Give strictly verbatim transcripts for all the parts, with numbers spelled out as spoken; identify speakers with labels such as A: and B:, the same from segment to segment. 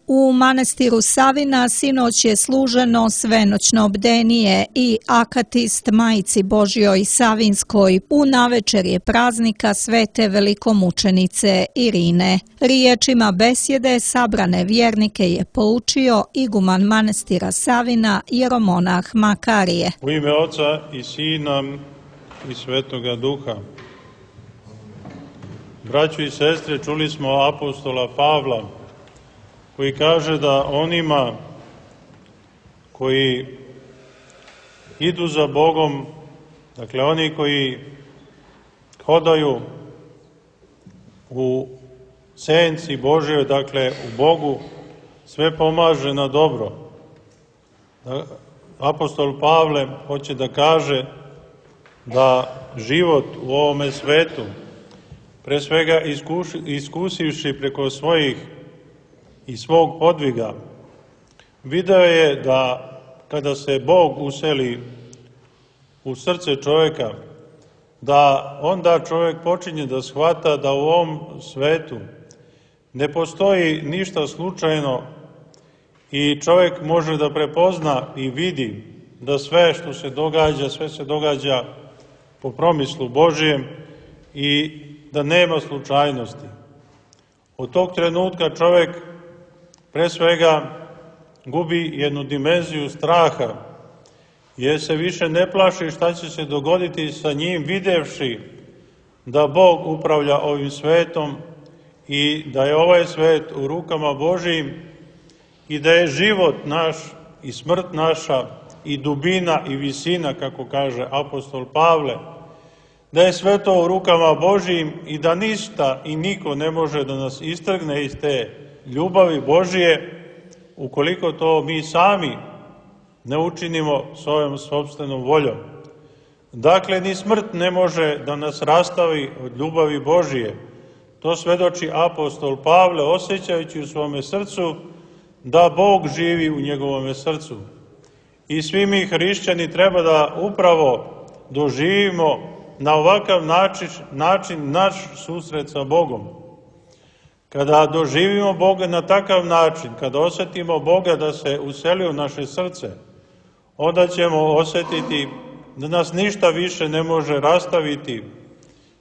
A: U manastiru Savina sinoć je služeno svenoćno bdenije i akatist Majici Božjoj Savinskoj u navečerje praznika svete velikomučenice Irine. Riječima besjede sabrane vjernike je poučio iguman manastira Savina jeromonah Makarije.
B: U ime Oca i Sina i Svetoga Duha. Braćo i sestre, čuli smo apostola Pavla koji kaže da onima koji idu za Bogom, dakle oni koji hodaju u senci Božjoj, dakle u Bogu, sve pomaže na dobro. Apostol Pavle hoće da kaže da život u ovome svetu, pre svega iskuši, iskusivši preko svojih i svog podviga, video je da kada se Bog useli u srce čovjeka, da onda čovjek počinje da shvata da u ovom svetu ne postoji ništa slučajno i čovjek može da prepozna i vidi da sve što se događa, sve se događa po promislu Božijem i da nema slučajnosti. Od tog trenutka čovjek pre svega gubi jednu dimenziju straha, jer se više ne plaši šta će se dogoditi sa njim, videvši da Bog upravlja ovim svetom i da je ovaj svet u rukama Božijim i da je život naš i smrt naša i dubina i visina, kako kaže apostol Pavle, da je sve to u rukama Božijim i da ništa i niko ne može da nas istrgne iz te ljubavi Božije, ukoliko to mi sami ne učinimo svojom sopstvenom voljom. Dakle, ni smrt ne može da nas rastavi od ljubavi Božije. To svedoči apostol Pavle, osjećajući u svome srcu da Bog živi u njegovome srcu. I svi mi hrišćani treba da upravo doživimo na ovakav način, način naš susret sa Bogom. Kada doživimo Boga na takav način, kada osjetimo Boga da se useli u naše srce, onda ćemo osjetiti da nas ništa više ne može rastaviti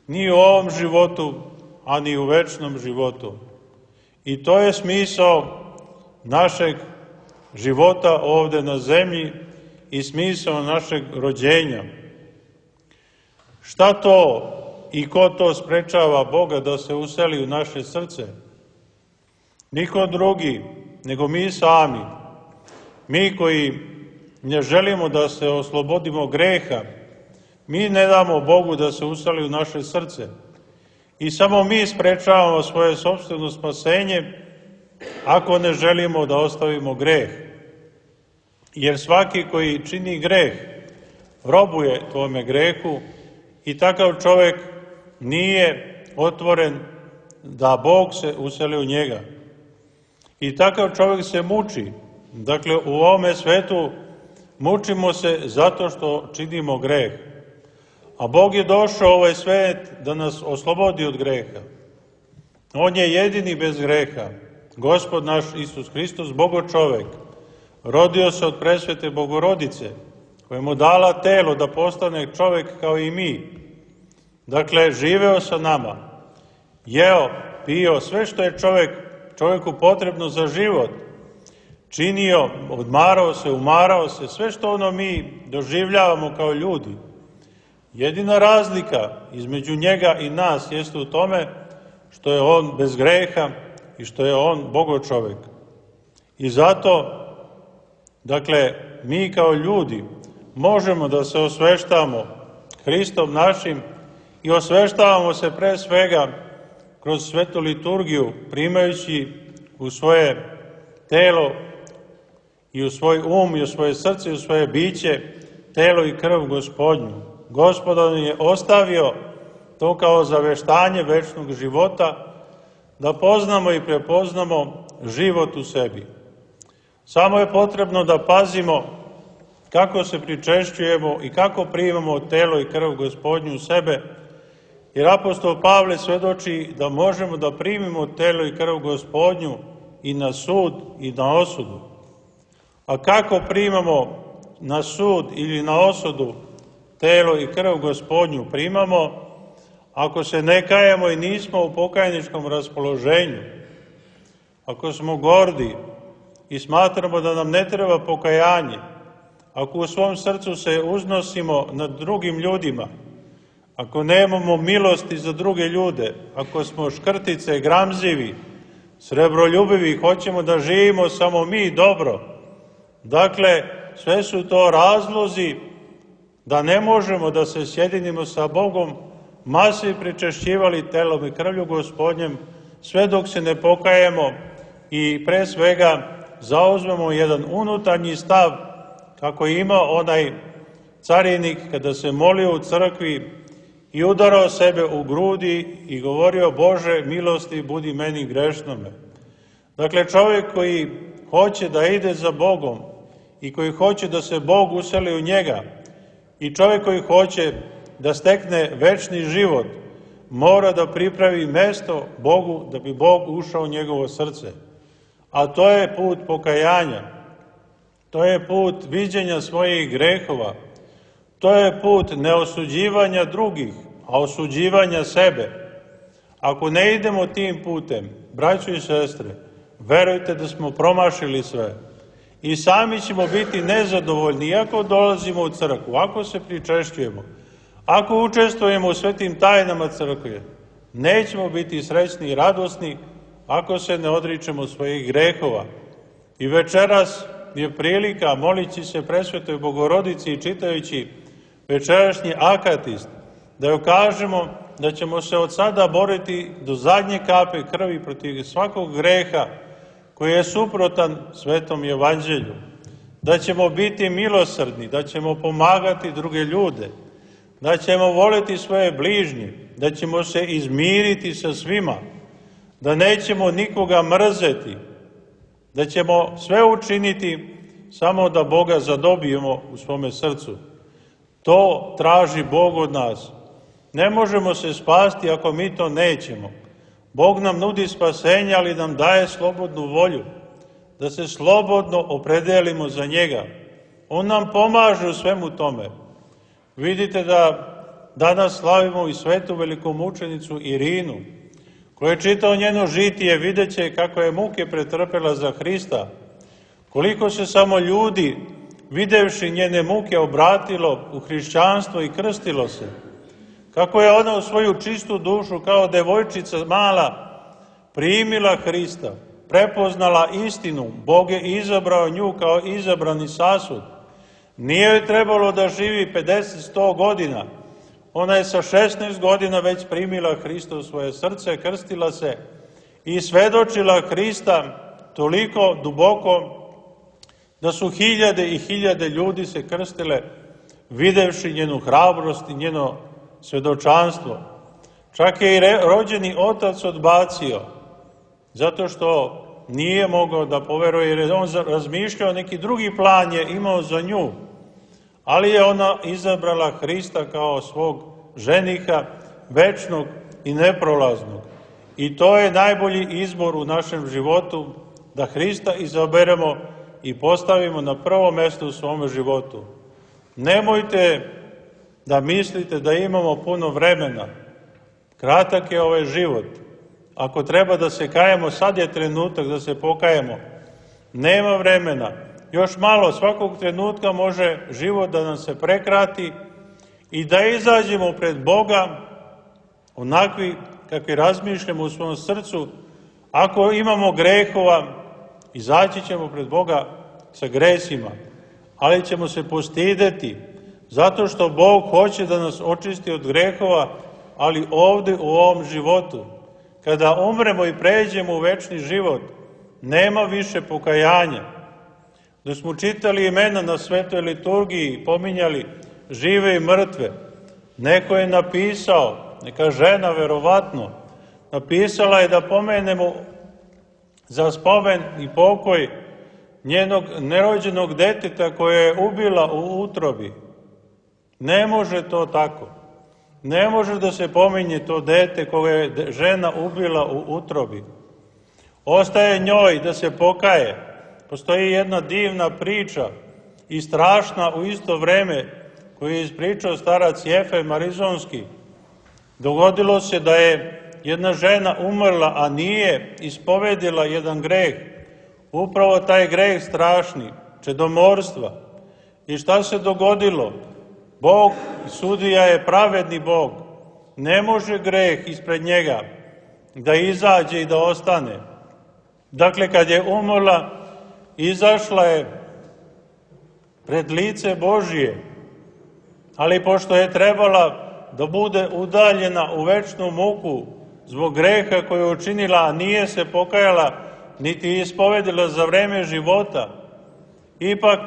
B: ni u ovom životu, a ni u večnom životu. I to je smisao našeg života ovde na zemlji i smisao našeg rođenja. Šta to i ko to sprečava Boga da se useli u naše srce? Niko drugi, nego mi sami. Mi koji ne želimo da se oslobodimo greha, mi ne damo Bogu da se useli u naše srce. I samo mi sprečavamo svoje sopstveno spasenje ako ne želimo da ostavimo greh. Jer svaki koji čini greh, robuje tome grehu i takav čovjek nije otvoren da Bog se useli u njega. I takav čovjek se muči. Dakle, u ovome svetu mučimo se zato što činimo greh. A Bog je došao u ovaj svet da nas oslobodi od greha. On je jedini bez greha. Gospod naš Isus Hristos, Bogo čovjek, rodio se od presvete Bogorodice, koja mu dala telo da postane čovjek kao i mi. Dakle, živeo sa nama, jeo, pio, sve što je čovjek, čovjeku potrebno za život, činio, odmarao se, umarao se, sve što ono mi doživljavamo kao ljudi. Jedina razlika između njega i nas jeste u tome što je on bez greha i što je on Bogo čovjek. I zato, dakle, mi kao ljudi možemo da se osveštamo Hristom našim i osveštavamo se pre svega kroz svetu liturgiju, primajući u svoje telo i u svoj um i u svoje srce i u svoje biće telo i krv Gospodnju. Gospod on je ostavio to kao zaveštanje večnog života, da poznamo i prepoznamo život u sebi. Samo je potrebno da pazimo kako se pričešćujemo i kako primamo telo i krv Gospodnju u sebe, Jer apostol Pavle svedoči da možemo da primimo telo i krv Gospodnju i na sud i na osudu. A kako primamo na sud ili na osudu telo i krv Gospodnju? Primamo ako se ne kajemo i nismo u pokajničkom raspoloženju, ako smo gordi i smatramo da nam ne treba pokajanje, ako u svom srcu se uznosimo nad drugim ljudima, ako nemamo milosti za druge ljude, ako smo škrtice, gramzivi, srebroljubivi, hoćemo da živimo samo mi dobro, dakle, sve su to razlozi da ne možemo da se sjedinimo sa Bogom, masi pričešćivali telom i krvlju Gospodnjem, sve dok se ne pokajemo i pre svega zauzmemo jedan unutarnji stav, kako ima onaj carinik kada se molio u crkvi i udarao sebe u grudi i govorio: Bože, milosti budi meni grešnome. Dakle, čovjek koji hoće da ide za Bogom i koji hoće da se Bog useli u njega i čovjek koji hoće da stekne večni život, mora da pripravi mesto Bogu da bi Bog ušao u njegovo srce. A to je put pokajanja, to je put viđenja svojih grehova, to je put neosuđivanja drugih, a osuđivanja sebe. Ako ne idemo tim putem, braćo i sestre, verujte da smo promašili sve. I sami ćemo biti nezadovoljni, iako dolazimo u crkvu, ako se pričešćujemo, ako učestvujemo u svetim tajnama crkve, nećemo biti srećni i radosni ako se ne odričemo svojih grehova. I večeras je prilika, molići se presvetoj Bogorodici i čitajući večerašnji akatist, da joj kažemo da ćemo se od sada boriti do zadnje kape krvi protiv svakog greha koji je suprotan svetom evanđelju, da ćemo biti milosrdni, da ćemo pomagati druge ljude, da ćemo voliti svoje bližnje, da ćemo se izmiriti sa svima, da nećemo nikoga mrzeti, da ćemo sve učiniti samo da Boga zadobijemo u svome srcu. To traži Bog od nas. Ne možemo se spasti ako mi to nećemo. Bog nam nudi spasenje, ali nam daje slobodnu volju, da se slobodno opredelimo za njega. On nam pomaže u svemu tome. Vidite da danas slavimo i svetu velikomučenicu Irinu, koja je čitao njeno žitije, videće kako je muke pretrpela za Hrista, koliko se samo ljudi, videvši njene muke, obratilo u hrišćanstvo i krstilo se, kako je ona u svoju čistu dušu kao devojčica mala primila Hrista, prepoznala istinu, Bog je izabrao nju kao izabrani sasud. Nije joj trebalo da živi pedeset sto godina, ona je sa šesnaest godina već primila Hrista u svoje srce, krstila se i svedočila Hrista toliko duboko da su hiljade i hiljade ljudi se krstile videvši njenu hrabrost i njeno svedočanstvo. Čak je i rođeni otac odbacio, zato što nije mogao da poveruje, jer je on razmišljao, neki drugi plan je imao za nju, ali je ona izabrala Hrista kao svog ženiha, večnog i neprolaznog. I to je najbolji izbor u našem životu, da Hrista izaberemo i postavimo na prvo mesto u svome životu. Nemojte da mislite da imamo puno vremena. Kratak je ovaj život. Ako treba da se kajemo, sad je trenutak da se pokajemo. Nema vremena. Još malo, svakog trenutka može život da nam se prekrati i da izađemo pred Boga onakvi kakvi razmišljamo u svom srcu. Ako imamo grehova, izaći ćemo pred Boga sa gresima, ali ćemo se postideti, zato što Bog hoće da nas očisti od grehova, ali ovde u ovom životu. Kada umremo i pređemo u večni život, nema više pokajanja. Da smo čitali imena na svetoj liturgiji, pominjali žive i mrtve, neko je napisao, neka žena verovatno, napisala je da pomenemo za spomen i pokoj njenog nerođenog deteta koje je ubila u utrobi. Ne može to tako. Ne može da se pominje to dete koje je žena ubila u utrobi. Ostaje njoj da se pokaje. Postoji jedna divna priča i strašna u isto vreme koju je ispričao starac Jefem Arizonski. Dogodilo se da je jedna žena umrla, a nije ispovedila jedan greh. Upravo taj greh strašni, čedomorstva. I šta se dogodilo? Bog, sudija je pravedni Bog. Ne može greh ispred njega da izađe i da ostane. Dakle, kad je umrla, izašla je pred lice Božije, ali pošto je trebala da bude udaljena u večnu muku zbog greha koju je učinila, a nije se pokajala, niti ispovedila za vreme života, ipak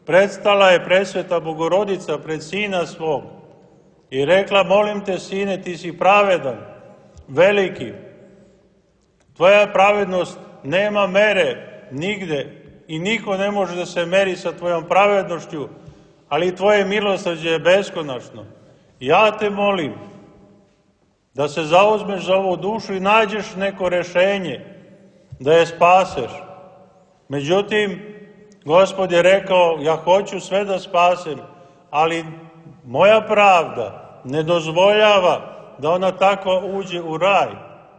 B: predstala je presveta Bogorodica pred sina svog i rekla: molim te, sine, ti si pravedan, veliki. Tvoja pravednost nema mere nigde i niko ne može da se meri sa tvojom pravednošću, ali tvoje milosrđe je beskonačno. Ja te molim da se zauzmeš za ovu dušu i nađeš neko rešenje, da je spaseš. Međutim, Gospod je rekao: ja hoću sve da spasem, ali moja pravda ne dozvoljava da ona takva uđe u raj,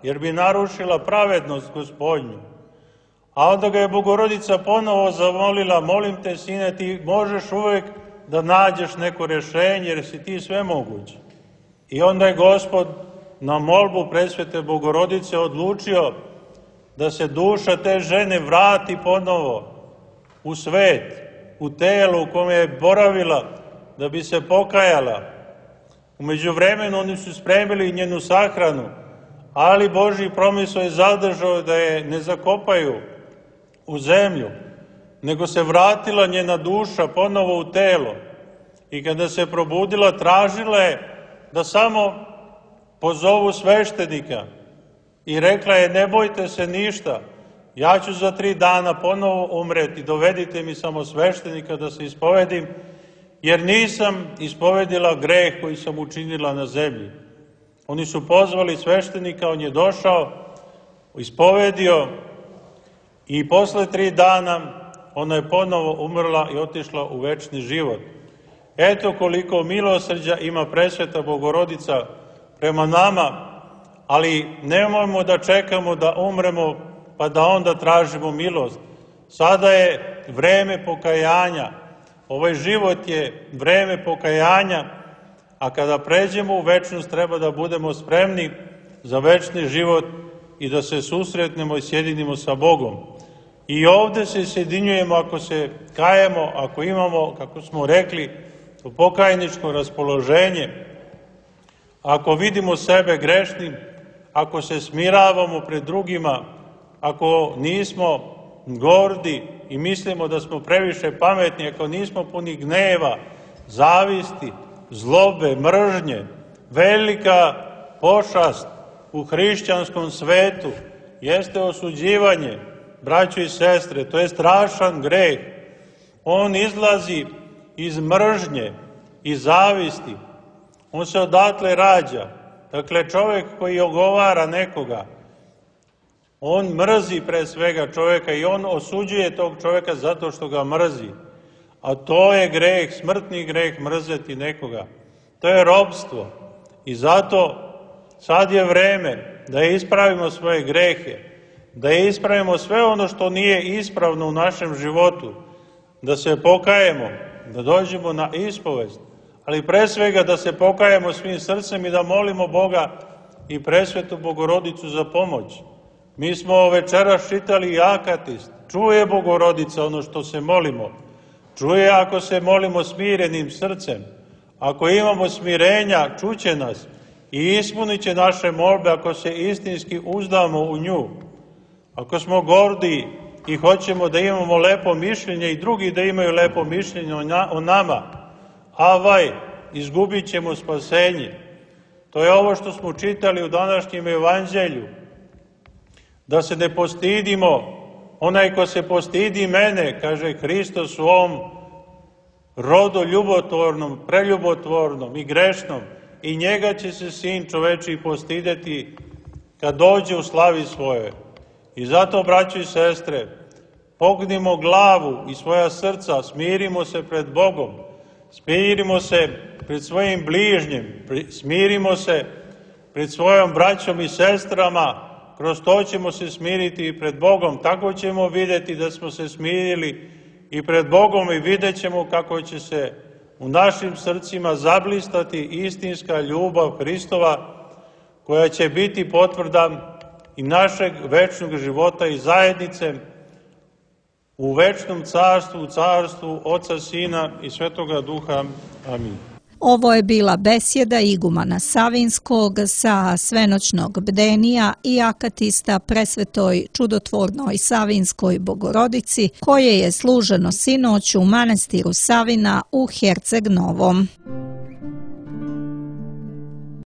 B: jer bi narušila pravednost Gospodnju. A onda ga je Bogorodica ponovo zamolila: molim te, sine, ti možeš uvek da nađeš neko rešenje, jer si ti svemoguć. I onda je Gospod na molbu presvete Bogorodice odlučio da se duša te žene vrati ponovo u svet, u telo u kome je boravila, da bi se pokajala. U međuvremenu oni su spremili njenu sahranu, ali Božji promisao je zadržao da je ne zakopaju u zemlju, nego se vratila njena duša ponovo u telo. I kada se probudila, tražila je da samo pozovu sveštenika i rekla je: ne bojte se ništa, ja ću za tri dana ponovo umreti, dovedite mi samo sveštenika da se ispovedim, jer nisam ispovedila greh koji sam učinila na zemlji. Oni su pozvali sveštenika, on je došao, ispovedio i posle tri dana ona je ponovo umrla i otišla u večni život. Eto koliko milosrđa ima presveta Bogorodica prema nama, ali nemojmo da čekamo da umremo pa da onda tražimo milost. Sada je vreme pokajanja, ovaj život je vreme pokajanja, a kada pređemo u večnost treba da budemo spremni za večni život i da se susretnemo i sjedinimo sa Bogom. I ovde se sjedinjujemo ako se kajemo, ako imamo, kako smo rekli, to pokajničko raspoloženje, ako vidimo sebe grešnim, ako se smiravamo pred drugima, ako nismo gordi i mislimo da smo previše pametni, ako nismo puni gneva, zavisti, zlobe, mržnje, velika pošast u hrišćanskom svetu jeste osuđivanje, braćo i sestre, to je strašan greh. On izlazi iz mržnje i zavisti. On se odatle rađa. Dakle, čovjek koji ogovara nekoga, on mrzi pre svega čovjeka i on osuđuje tog čovjeka zato što ga mrzi. A to je greh, smrtni greh, mrzeti nekoga. To je robstvo. I zato sad je vreme da ispravimo svoje grehe, da ispravimo sve ono što nije ispravno u našem životu, da se pokajemo, da dođemo na ispovest, ali pre svega da se pokajemo svim srcem i da molimo Boga i presvetu Bogorodicu za pomoć. Mi smo večeras čitali Akatist. Čuje Bogorodica ono što se molimo. Čuje ako se molimo smirenim srcem. Ako imamo smirenja, čuće nas i ispunit će naše molbe ako se istinski uzdamo u nju. Ako smo gordi i hoćemo da imamo lepo mišljenje i drugi da imaju lepo mišljenje o nama, avaj, izgubit ćemo spasenje. To je ovo što smo čitali u današnjem evanđelju. Da se ne postidimo, onaj ko se postidi mene, kaže Hristos u ovom rodu ljubotvornom, preljubotvornom i grešnom, i njega će se Sin čoveči postideti kad dođe u slavi svoje. I zato, braćo i sestre, pognimo glavu i svoja srca, smirimo se pred Bogom, smirimo se pred svojim bližnjim, smirimo se pred svojom braćom i sestrama, kroz to ćemo se smiriti i pred Bogom. Tako ćemo vidjeti da smo se smirili i pred Bogom i vidjet ćemo kako će se u našim srcima zablistati istinska ljubav Hristova, koja će biti potvrda i našeg večnog života i zajednice u večnom carstvu, u carstvu Oca, Sina i Svetoga Duha. Amin.
A: Ovo je bila besjeda igumana Savinskog sa svenoćnog bdenija i akatista presvetoj čudotvornoj Savinskoj Bogorodici, koje je služeno sinoć u manastiru Savina u Herceg Novom.